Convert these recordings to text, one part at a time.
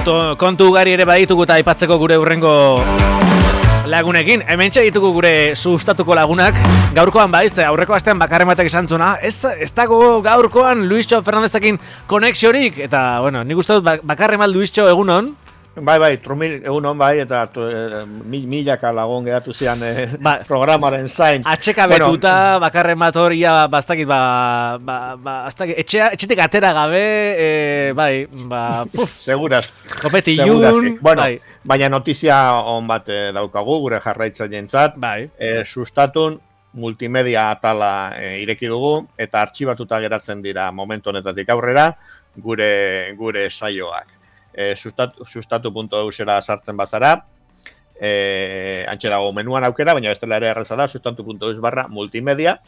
kontu ugari ere baditugu eta aipatzeko gure hurrengo lagunekin. Hementxe ditugu gure sustatuko lagunak. Gaurkoan baiz, aurreko astean bakarren batek esan zuna, ez dago gaurkoan Luisxo Fernandezekin konexiorik. Eta, bueno, nik uste dut bakarren mal Luisxo egunon. Bai, Trumil egunon bai, eta milaka lagun geratu zian programaren zain. Atxeka betuta, bakarren bat horia, bastakit, etxetik atera gabe, Seguraz. Kopeti ilun, bueno, baina notizia on bat daukagu, gure jarraitzaileentzat. Sustatun multimedia atala ireki dugu, eta artxibatuta geratzen dira momentu honetatik aurrera, gure saioak. Sustatu.eusera sartzen bazara, antxe dago menuan aukera, baina bestela ere erraza da, sustatu.eus/multimedia,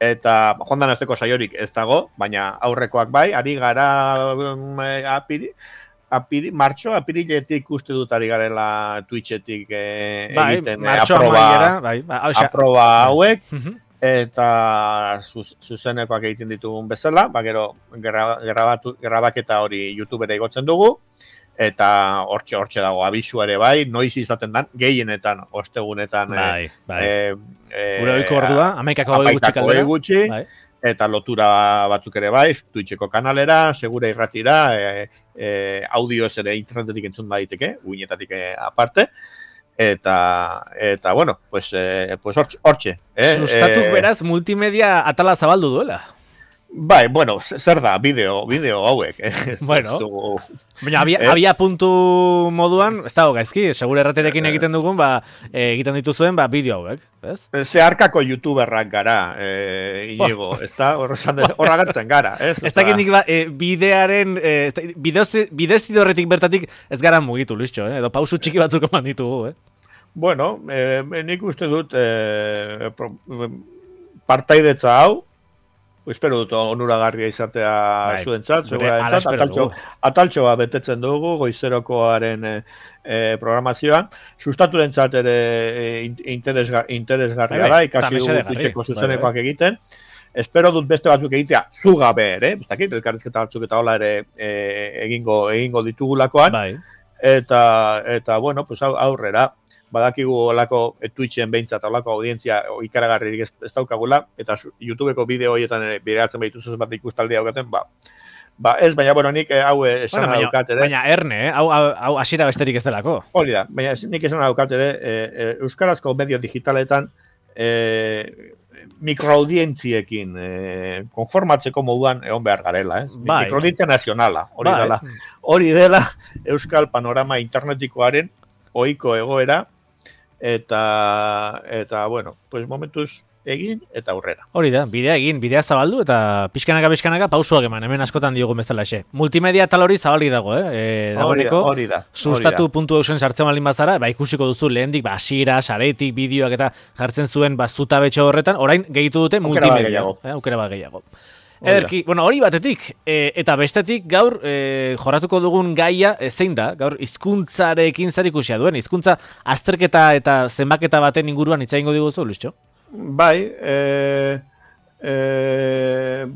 eta jondan azteko saiorik ez dago, baina aurrekoak bai, ari gara apiriletik uste dut ari garela Twitchetik egiten aproba hauek, eta zuzenekoak egiten ditugun bezala, gero grabaketa hori YouTubera igotzen dugu, eta hortxe dago abisua ere bai, noiz izaten dan, gehienetan, ostegunetan gure oiko ordua, amaikako gutxi, eta lotura batzuk ere bai, Twitcheko kanalera, segura irratira, audioz ere internetetik entzun daiteke, uinetatik aparte, eta bueno, pues hortxe. Sustatuk beraz multimedia atala zabaldu duela. Bai, bueno, zer da, bideo hauek. Bueno, baina abia puntu moduan, ez dago gaizki, segure erraterekin egiten dugun, egiten dituzuen, bideo hauek, ez? Zeharkako youtuberrak gara, Inigo, ez da, horra gertzen gara, ez? Ez dakit nik bidearen, bidezidorretik bertatik ez gara mugitu, Luisxo, edo pausu txiki batzuk eman ditugu, Bueno, nik uste dut partaidetza hau, espero dut onuragarria izatea zuentzat, ataltxoa betetzen dugu, goizerokoaren programazioan, sustaturentzat ere interesgarria da, ikasi dugu zuzenekoak egiten, espero dut beste batzuk egitea zugabe ere, ez dakit, elkarrizketa batzuk eta hola ere egingo ditugulakoan, eta bueno, pues aurrera, badakigu olako Twitchen behintzat olako audientzia ikaragarririk ez daukagula, eta YouTubeko bideo horietan bideratzen behituzuz bat ikustaldea daukaten, ez, baina, bueno, nik hau esan daukat ere. Baina erne, hau hasiera besterik ez delako. Hori da, baina nik esan daukat ere, euskarazko medio digitaletan mikroaudientziekin konformatzeko moduan egon behar garela, mikroaudientzia nazionala, hori dela euskal panorama internetikoaren ohiko egoera, eta bueno, pues momentuz egin eta aurrera. Hori da, bidea zabaldu eta pixkanaka pausuak eman, hemen askotan diogun bezala xe. Multimedia tal hori zabali dago, hori da. Sustatu.eusen sartzen balin bazara, ikusiko duzu lehendik, hasiera, saretik, bideoak eta jartzen zuen zutabetxo horretan, orain gehitu dute multimedia. Aukera bat gehiago. Ederki, bueno, hori batetik, eta bestetik gaur jorratuko dugun gaia zein da, gaur hizkuntzarekin zer ikusia duen, hizkuntza azterketa eta zenbaketa baten inguruan hitz egingo diguzu, Luisxo? Bai,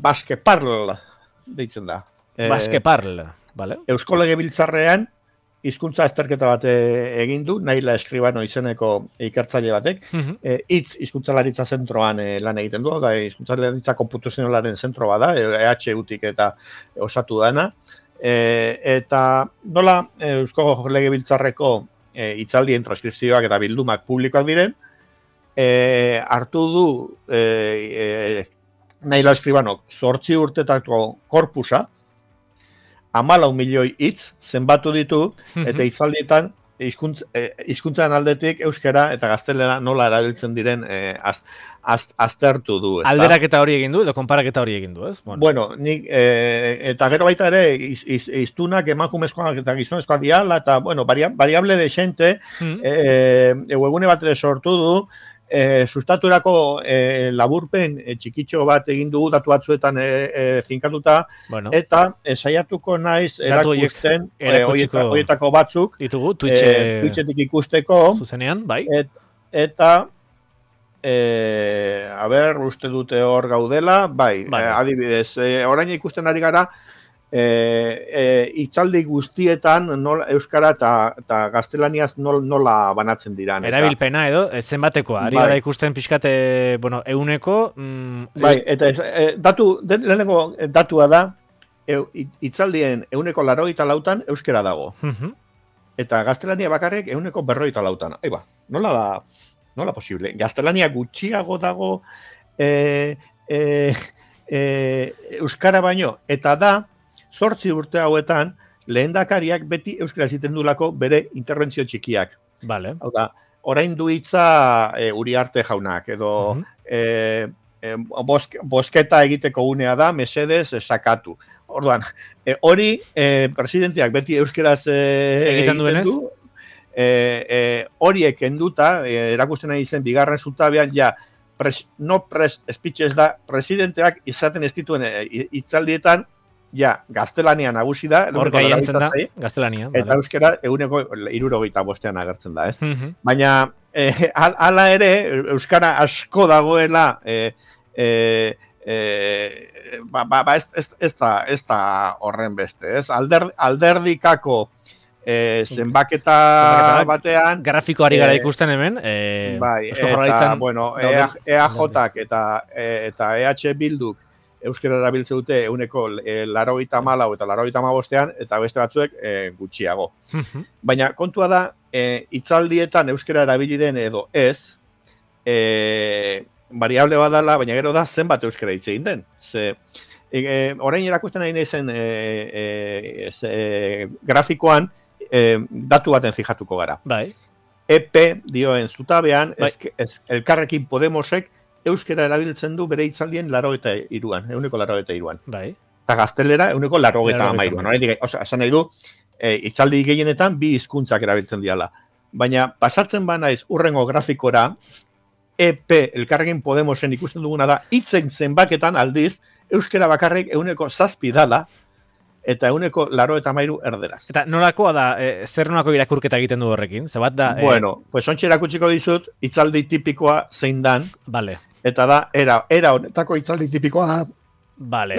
Baskeparl deitzen da. Baskeparl, bale? Eusko Legebiltzarrean hizkuntza azterketa bat egin du, Naila Eskribano izeneko ikertzaile batek, hizkuntzalaritza zentroan lan egiten du, da hizkuntzalaritza konputazionalaren zentroa da, EHUtik eta osatu dana, eta nola Eusko Legebiltzarreko hitzaldien transkripzioak eta bildumak publikoak diren, hartu du Naila Eskribano 8 urtetako korpusa, 14 milioi hitz zenbatu ditu, eta hitzaldietan hizkuntzaren aldetik euskara eta gaztelera nola erabiltzen diren aztertu du. Alderaketa hori egin du edo konparaketa hori egin du, ez? Bueno, nik, eta gero baita ere hiztunak emakumezkoak eta gizonezkoak diala, eta bueno, variable de xente, webgune bat ere sortu du, sustaturako laburpen txikitxo bat egin dugu datu batzuetan zinkatuta, eta saiatuko naiz erakusten horietako batzuk ditugu Twitchetik ikusteko zuzenean, bai, eta uste dute hor gaudela, bai. Adibidez, orain ikusten ari gara Itzaldi guztietan euskara eta gaztelaniaz nola banatzen dira. Erabilpena edo, zenbatekoa, ari gara ikusten pixkate, euneko... Bai, eta lehenengo datua da, itzaldien euneko 84 euskera dago. Eta gaztelania bakarrik euneko 54. Aiba, nola posible? Gaztelania gutxiago dago euskara baino, eta da, 8 urte hauetan, lehendakariak beti euskara ziten dulako bere interbentzio txikiak. Vale. Hau da, orain du hitza Uriarte jaunak, edo bosketa egiteko unea da, mesedez sakatu. Orduan, hori presidenteak beti euskaraz egiten du, horiek enduta, erakusten nahi zen bigarren zutabean, ja, no press speeches da, presidenteak izaten ez dituen hitzaldietan, ja, gaztelania nagusi da, hor gaientzen da, gaztelania. Eta euskara eguneko 65 agertzen da, ez? Baina, hala ere, euskara asko dagoela, ez da horren beste, ez? Alderdikako zenbaketa batean... Grafikoari gara ikusten hemen. Bai, eta, bueno, EAJak eta EH Bilduk euskara erabiltze dute euneko 94 eta 95 eta beste batzuek gutxiago. Baina kontua da, hitzaldietan euskara erabili den edo ez, variable badala, baina gero da zenbat euskara hitz egin den. Orain erakusten nahi zen grafikoan datu baten fijatuko gara. Bai. EP dioen zutabean, Elkarrekin Podemosek euskara erabiltzen du bere hitzaldien 83an, euneko 83an. Bai. Eta gaztelera euneko 83an. Esan nahi du, hitzaldi gehienetan bi hizkuntzak erabiltzen diala. Baina pasatzen banaiz urrengo grafikora, EP Elkarrekin Podemosen ikusten duguna da, hitzen zenbaketan aldiz, euskara bakarrik euneko 7 dala, eta euneko 83 erderaz. Eta nolakoa da, zer nolako irakurketa egiten du horrekin? Zebat da... Bueno, pues ontsi erakutsiko dizut, hitzaldi tipikoa zein dan. Vale. Eta da, era honetako hitzaldi tipikoa. Vale.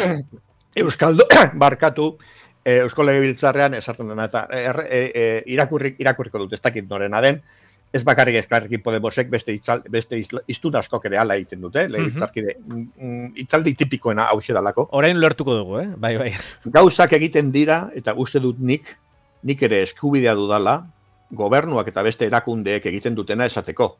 Euskaldo, barkatu, Eusko Legebiltzarrean esartzen dena, eta irakurriko dut, ez dakit norena den, ez bakarrik Elkarrekin Podemosek beste hiztun askok ere hala egiten dute, legebiltzarkide, hitzaldi tipikoena hau xeralako. Orain lertuko dugu, bai. Gauzak egiten dira, eta uste dut nik ere eskubidea dudala, gobernuak eta beste erakundeek egiten dutena esateko.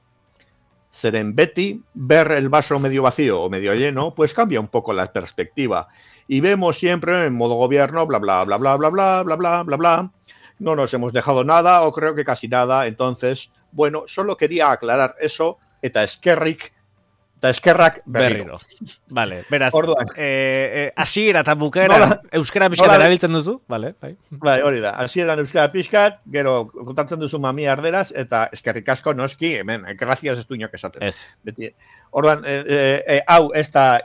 Zeren beti, ver el vaso medio vacío o medio lleno, pues cambia un poco la perspectiva. Y vemos siempre en modo gobierno, bla, bla, bla, bla, bla, bla, bla, bla, bla, bla. No nos hemos dejado nada, o creo que casi nada. Entonces, bueno, solo quería aclarar eso, eta eskerrak berriro. Vale, beraz, hasiera eta bukaera euskara pixkat erabiltzen duzu? Vale, bai. Bai, hori da, hasieran euskara pixkat, gero kontatzen duzu mami arderaz, eta eskerrik asko noski, hemen, gracias ez du inok esaten. Ez. Beti. Orduan, hau ez da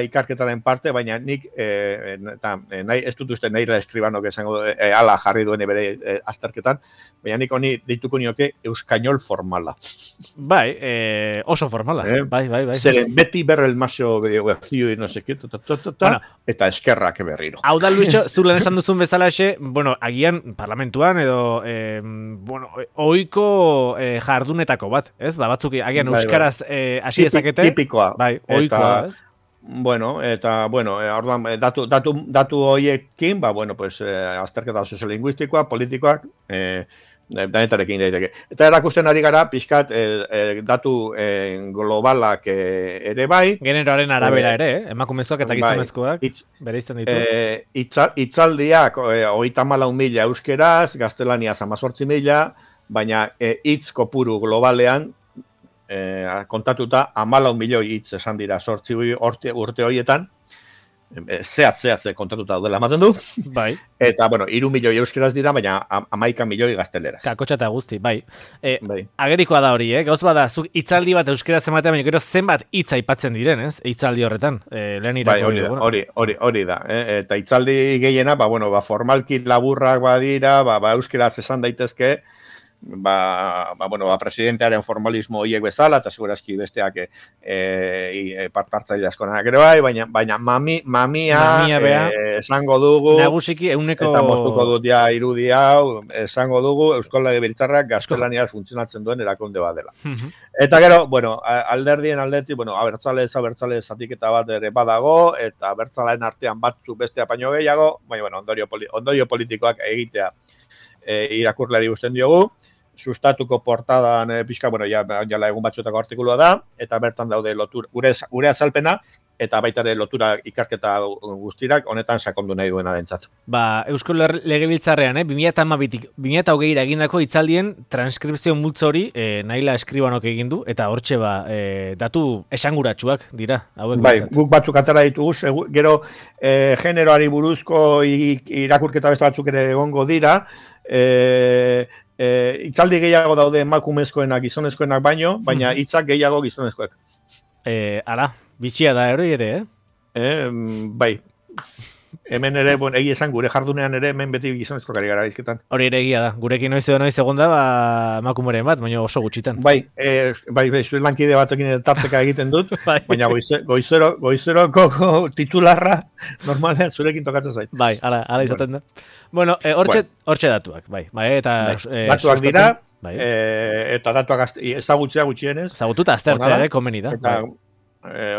ikarketaren parte, baina nik, ez dut uste nahi eskribano esango ala jarri duen bere azterketan, baina nik honi deituko nioke euskainol formala. Bai, oso formala. Bai. Zeren beti berrel maso vacío y no sé qué, eta eskerrak berriro. Hau da, Luisio, zulen esan duzun bezala agian parlamentuan edo, oiko jardunetako bat, ez? Batzuk agian euskaraz hasi ezakete. Tipikoa. Bai, oikoa, ez? Orduan, datu horiekin, pues, azterketa soziolinguistikoa, politikoak, danetarekin daiteke. Eta erakusten ari gara, pixkat, datu globalak ere bai. Generoaren arabera ere, emakumezkoak eta gizonezkoak, bere izten ditu. Hitzaldiak, 34.000 euskeraz, gaztelaniaz 18.000, baina hitz kopuru globalean, kontatuta 14 milioi hitz esan dira 8 urte horietan, zehatze kontatuta daudela ematen du. Bai. Eta, 3 milioi euskeraz dira, baina 11 milioi gazteleraz. Kakotxa eta guzti, bai. Agerikoa da hori, gauz bada, zuk hitzaldi bat euskeraz ematea, baina gero zenbat hitz aipatzen diren, ez? Hitzaldi horretan, lehen irako. Hori da. Eta hitzaldi gehiena, formalki laburrak badira, euskeraz esan daitezke, presidentearen formalismo hiek bezala, eta segurazki besteak partartzaile askonak ere bai, baina mamia esango dugu, nagusiki euneko... eta moztuko dut ja irudi hau, esango dugu, Eusko Legebiltzarrak gaztelaniaz funtzionatzen duen erakunde bat dela. Eta gero, alderdien aldetik, abertzale zatiketa bat ere badago, eta abertzaleen artean batzuk beste apaino gehiago, baina, ondorio politikoak egitea irakurlari usten diogu, sustatuko portadan pixka, jala egun batzuetako artikulua da, eta bertan daude gure azalpena, eta baita ere lotura ikarketa guztirak, honetan sakondu nahi duena dentzat. Eusko Legebiltzarrean, 2020-2020 egindako hitzaldien transkripzio multzo hori Naila Eskribanok egin du, eta hortxe datu esanguratsuak dira. Guk batzuk atara ditugu, gero generoari buruzko irakurketa beste batzuk ere egongo dira, hitzaldi gehiago daude emakumezkoenak, gizonezkoenak baino, baina hitzak gehiago gizonezkoek. Ala, bitxia da ere, Bai. Hemen ere, egi esan, gure jardunean ere, hemen beti gizonezko kari gara izketan. Hori ere egia da. Gurekin noiz egon da, emakumeren bat, baina oso gutxitan. Bai, zuen lankide batekin tarteka egiten dut, baina goizeroko titularra normalean zurekin tokatzen zait. Bai, ala izaten da. Bueno, hortxe datuak, bai. Datuak dira, eta datuak ezagutzea gutxienez. Ezagututa aztertzea ere, komeni da. Eta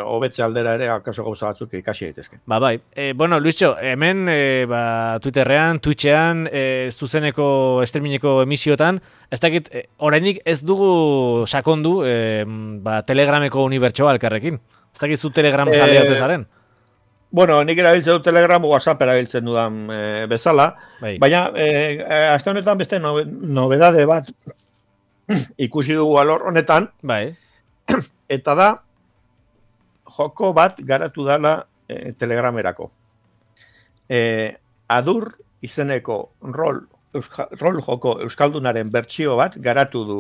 hobetze aldera ere, akaso gauza batzuk ikasi daitezke. Bai. Luisio, hemen Twitterrean, Twitchean, zuzeneko streamingeko emisiotan, ez dakit, oraindik ez dugu sakondu Telegrameko unibertsoa alkarrekin. Ez dakit zu Telegram zalea otezaren? Nik erabiltzen dut Telegram, WhatsApp erabiltzen dudan bezala, baina azte honetan beste nobedade bat ikusi dugu alor honetan, eta da joko bat garatu dala Telegramerako. Adur izeneko rol joko euskaldunaren bertsio bat garatu du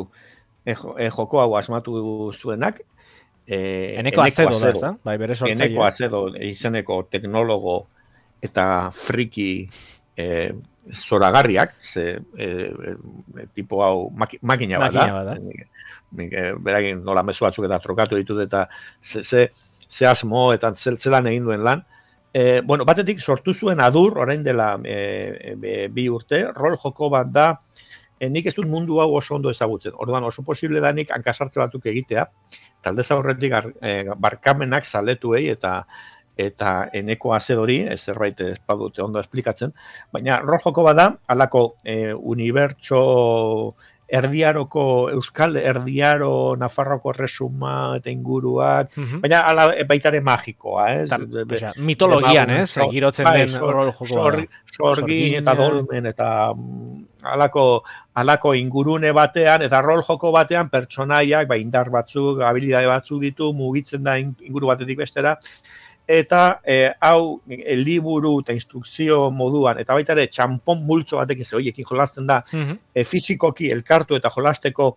joko hau asmatu zuenak, Eneko Azedo da, ezta? Bai, bere sortzaile. Eneko Azedo izeneko teknologo eta friki zoragarriak, tipo hau makina bat da. Beragin nola mezu batzuk eta trokatu ditut eta ze asmo eta zelan egin duen lan. Batetik sortu zuen Adur, orain dela 2 urte, rol joko bat da, nik ez dut mundu hau oso ondo ezagutzen. Orduan oso posible da nik hankasartze batzuk egitea, talde zaurretik barkamenak zaletuei eta Eneko Azedori, zerbait ez badute ondo esplikatzen, baina rol joko bat da, halako unibertso erdiaroko, euskal erdiaro, Nafarroko resuma eta inguruak, baina baitare magikoa, mitologian, girotzen den rol joko. Sorgin eta dolmen eta halako ingurune batean, eta rol joko batean pertsonaiak, indar batzuk, habilidade batzuk ditu, mugitzen da inguru batetik bestera, eta hau liburu eta instrukzio moduan, eta baita ere txampon multzo batekin hoiekin jolasten da, fizikoki elkartu eta jolasteko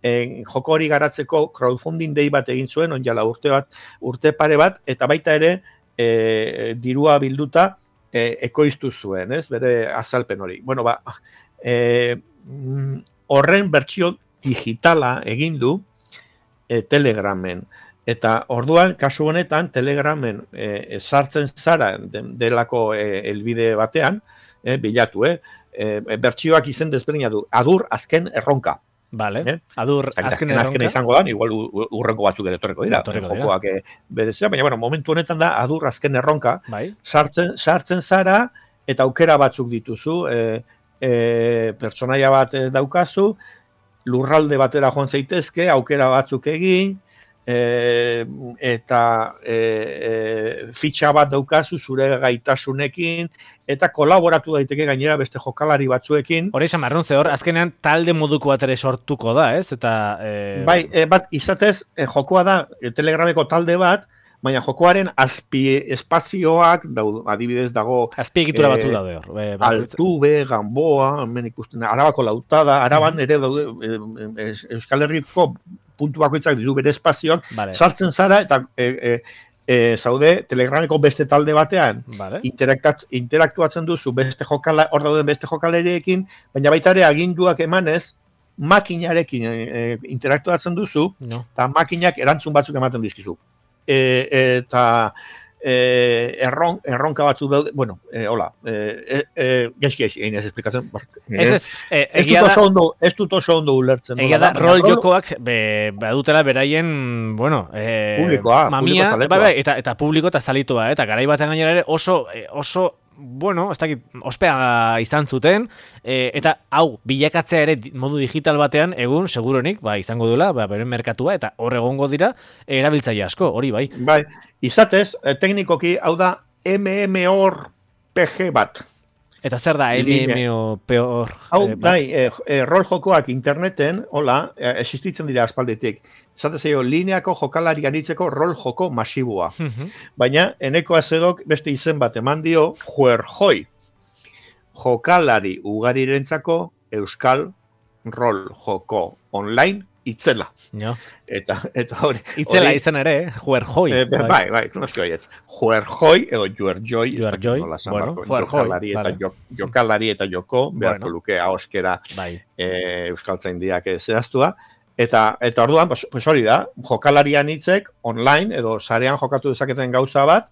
joko hori garatzeko crowdfunding day bat egin zuen, onjala urte pare bat, eta baita ere dirua bilduta ekoiztu zuen, bere azalpen hori. Horren bertsio digitala egin du Telegramen. Eta orduan, kasu honetan, Telegramen sartzen zara delako helbide batean, bilatu, bertsioak izen desberdina du, Adur azken erronka. Vale, Adur azken erronka. Azken izango da, igual urrenko batzuk ere torreko dira. Jokoak berezea, baina momentu honetan da, Adur azken erronka, sartzen zara, eta aukera batzuk dituzu, pertsonaia bat daukazu, lurralde batera joan zaitezke, aukera batzuk egin, eta fitxa bat daukazu zure gaitasunekin, eta kolaboratu daiteke gainera beste jokalari batzuekin. Hori esan marrun, hor, azkenean talde moduko bat ere sortuko da, ez? Eta, bat izatez, jokoa da Telegrameko talde bat, baina jokoaren espazioak, adibidez dago... Azpiegitura batzuk daude hor. Altube, Gamboa, hemen ikusten, Arabako Lautada, Araban ere daude, Euskal Herriko puntu bakoitzak ditu bere espazioak, sartzen zara, eta zaude Telegrameko beste talde batean, interaktuatzen duzu hor dauden beste jokaleriekin, baina baita ere aginduak emanez, makinarekin interaktuatzen duzu, eta makinak erantzun batzuk ematen dizkizu. Eta erronka batzuk daude, bueno, hola, gaizki egin ez esplikatzen. Ez dut oso ondo ulertzen. Egia da, rol jokoak badutela beraien, bueno, publikoa, mamia, eta publiko eta zalitua, eta garai batean gainera ere oso bueno, ez dakit, ospea izan zuten, eta hau, bilakatzea ere modu digital batean, egun, seguronik, izango duela, beren merkatua, eta hor egongo dira, erabiltzaile asko, hori bai. Bai, izatez, teknikoki, hau da, MMORPG bat. Eta zer da, MMORPG? Hau, rol jokoak interneten, hola, existitzen dira aspalditik. Zatez edo, lineako jokalari anitzeko rol joko masiboa. Baina, eneko azedok beste izen bat eman dio, juerjoi. Jokalari ugarirentzako euskal rol joko online itzela. Eta hori... Itzela izan ere, juerjoi. Bai, noski horietz. Juerjoi edo juerjoi. Bueno, juerjoi. Jokalari eta joko, beharko luke ahoskera euskaltzaindiak zehaztua. Eta orduan, pues hori da, jokalarian hitzek online, edo sarean jokatu dezaketen gauza bat,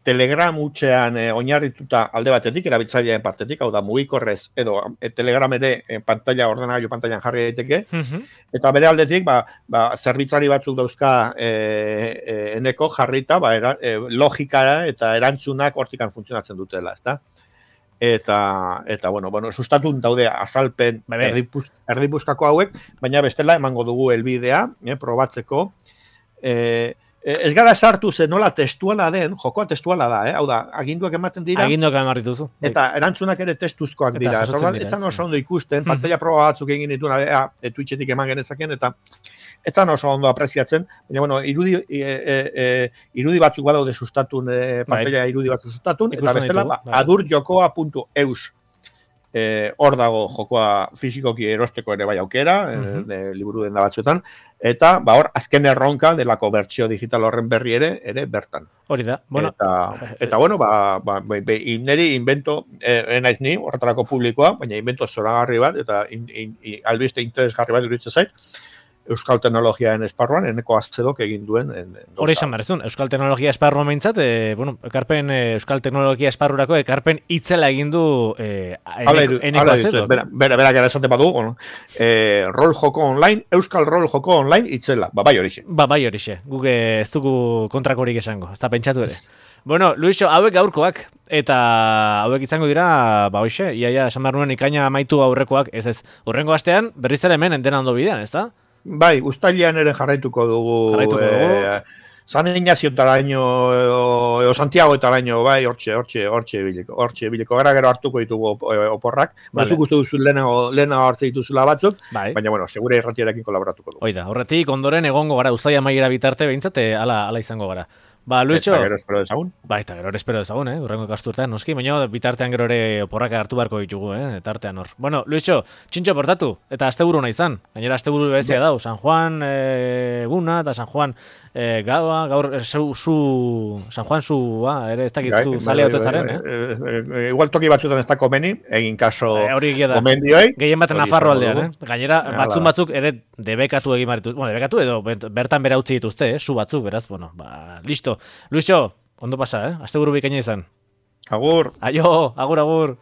Telegram utxean oinarrituta alde batetik, erabiltzailearen partetik, hau da mugikorrez, edo Telegram ere ordenagailu pantailan jarri daiteke, eta bere aldetik, zerbitzari batzuk dauzka eneko jarrita, logikara eta erantzunak hortikan funtzionatzen dutela, ezta? Eta bueno, sustatun daude azalpen erdipuzkako hauek, baina bestela emango dugu helbidea, probatzeko. Ez gara sartu zen nola testuala den, jokoa testuala da, hau da, aginduak ematen dira. Aginduak emarrituzu. Eta erantzunak ere testuzkoak dira. Etzan oso ondo ikusten, pantalla proba batzuk egin dituna, Twitchetik eman genezaken, eta etzan oso ondo apreziatzen, baina, bueno, irudi batzuk badaude sustatun, pantalla irudi batzuk sustatun, eta bestela, adurjokoa.eus. Hor dago jokoa fisikoki erosteko ere bai aukera, liburu den da batzuetan, eta hor azken erronka delako bertsio digital horren berri ere bertan. Hori da. Eta bueno, niri invento, enaiz ni, horretarako publikoa, baina invento zoragarri bat, eta albiste interesgarri bat iruditzen zait, euskal teknologiaen esparruan, eneko azedok egin duen. Hori izan berezun, euskal teknologia esparruan behintzat, euskal teknologia esparrurako ekarpen itzela egin du eneko azedok. Berak gara esate badu, rol joko online, euskal rol joko online itzela, bai horixe. Bai horixe, guk ez dugu kontrakorik esango, ez da pentsatu ere. Bueno, Luiso, hauek gaurkoak, eta hauek izango dira, hoxe, iaia esan behar nuen ikaina amaitu aurrekoak, ez, urrengo astean, berriz ere hemen entena ondo bidean, ez da? Bai, uztailean ere jarraituko dugu. San Ignacio taraino, edo Santiago taraino, bai, hortxe biliko. Gara gero hartuko ditugu oporrak. Batzuk uste duzu lehenago hartze dituzula batzuk, baina, bueno, segure irratiarekin kolaboratuko dugu. Oida, horretik ondoren egongo gara, uztaila maiera bitarte behintzat, ala izango gara. Luiso. Eta gero espero dezagun. Eta gero espero dezagun, urrengo kasturtean, noski, baina bitartean gero ere oporrak hartu beharko ditugu, tartean hor. Bueno, Luiso, txintxo portatu, eta asteburu nahi izan. Gainera asteburu bezia dau, San Juan eguna, eta San Juan gaua, gaur San Juan zua, ere ez dakitzu zale haute zaren, Igual toki batzutan ez da komeni, egin kaso komendioi. Gehien baten Nafarro aldean, Gainera, batzuk ere debekatu egin marituz, debekatu edo bertan bera utzi dituzte, zu batzuk, beraz, listo. Luiso, ondo pasa, asteburu bikaina izan. Agur. Aio, agur.